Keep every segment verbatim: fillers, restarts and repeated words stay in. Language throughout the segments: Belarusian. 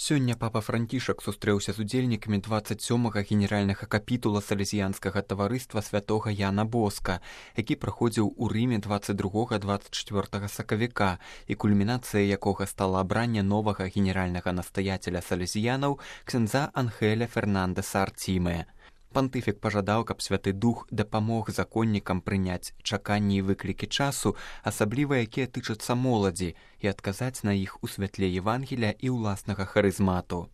Сёння папа Францішак сустрэўся з удзельнікамі дваццаць сёмага генеральнага капітула салезіянскага таварыства святога Яна Боска, які праходзіў у Рыме дваццаць другога - дваццаць чвёртага сакавіка, і кульмінацыяй якога стала абранне новага генеральнага настаяцеля салезіянаў ксяндза Анхеля Фернандэса Артіме. Пантыфік пажадаў, каб святы дух дапамог законнікам прыняць чаканні і выклікі часу, асабліва якія тычацца моладзі, і адказаць на іх у святле Евангелія і ўласнага харызмату.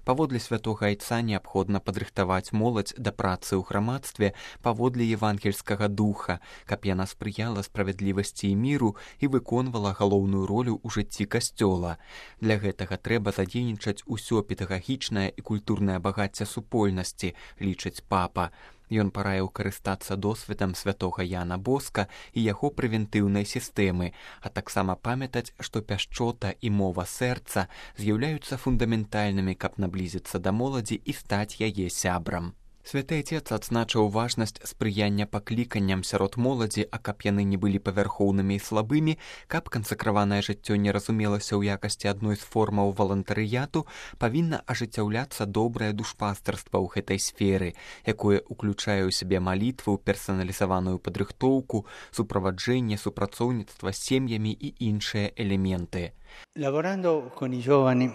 Паводле святога айца неабходна падрыхтаваць моладзь да працы ў грамадстве паводле евангельскага духа, каб яна спрыяла справядлівасці і міру і выконвала галоўную ролю ў жыцці касцёла. Для гэтага трэба задзейнічаць усё педагагічнае і культурнае багацце супольнасці, лічыць папа. Ён параіў карыстацца досведам святога Яна Боска і яго прэвентыўнай сістэмы, а таксама памятаць, што пяшчота і мова сэрца з'яўляюцца фундаментальнымі, каб наблізіцца да моладзі і стаць яе сябрам. Святы Айцец адзначыў важнасць спрыяння пакліканням сярод моладзі, а каб яны не былі павярхоўнымі і слабымі, каб кансакраванае жыццё не разумелася ў якасці адной з формаў валантарыяту, павінна ажыццяўляцца добрае душпастарства ў гэтай сферы, якое ўключае ў сябе малітву, персаналізаваную падрыхтоўку, суправаджэнне, супрацоўніцтва з сем'ямі і іншыя элементы. Lavorando con i giovani,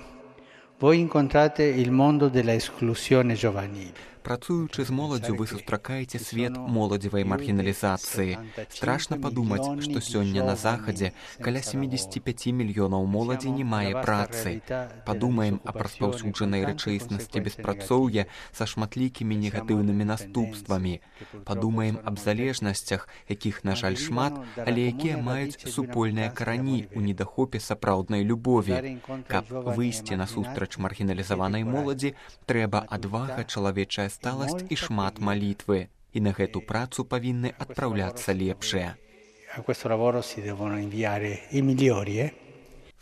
voi incontrate il mondo della esclusione giovanile. Працуючы з моладдзю, вы сустракаеце свет моладзевай маргіналізацыі. Страшна падумаць, што сёння на захадзе каля сямдзесят пяць мільёнаў моладзі не мае працы. Падумаем аб распаўсюджанай рэчаіснасці беспрацоўя са шматлікімі негатыўнымі наступствамі. Падумаем аб залежнасцях, якіх, на жаль, шмат, але якія маюць супольныя карані ў недахопе сапраўднай любові. Каб выйсці насустрач маргіналізаванай моладзі, трэба адвага, чалавечая сталасць і шмат малітвы. І на гэту працу павінны адпраўляцца лепшыя. A questo lavoro si devono inviare i migliori, eh?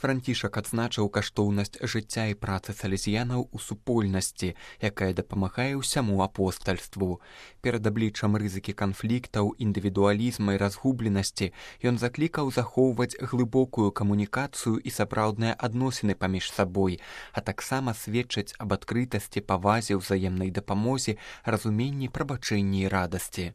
Францішак адзначыў каштоўнасць жыцця і працы салезіянаў у супольнасці, якая дапамагае ўсяму апостальству. Перад абліччам рызыкі канфліктаў, індывідуалізма і разгубленасці ён заклікаў захоўваць глыбокую камунікацыю і сапраўдныя адносіны паміж сабой, а таксама сведчыць аб адкрытасці, павазе, ўзаемнай дапамозе, разуменні, прабачэнні і радасці.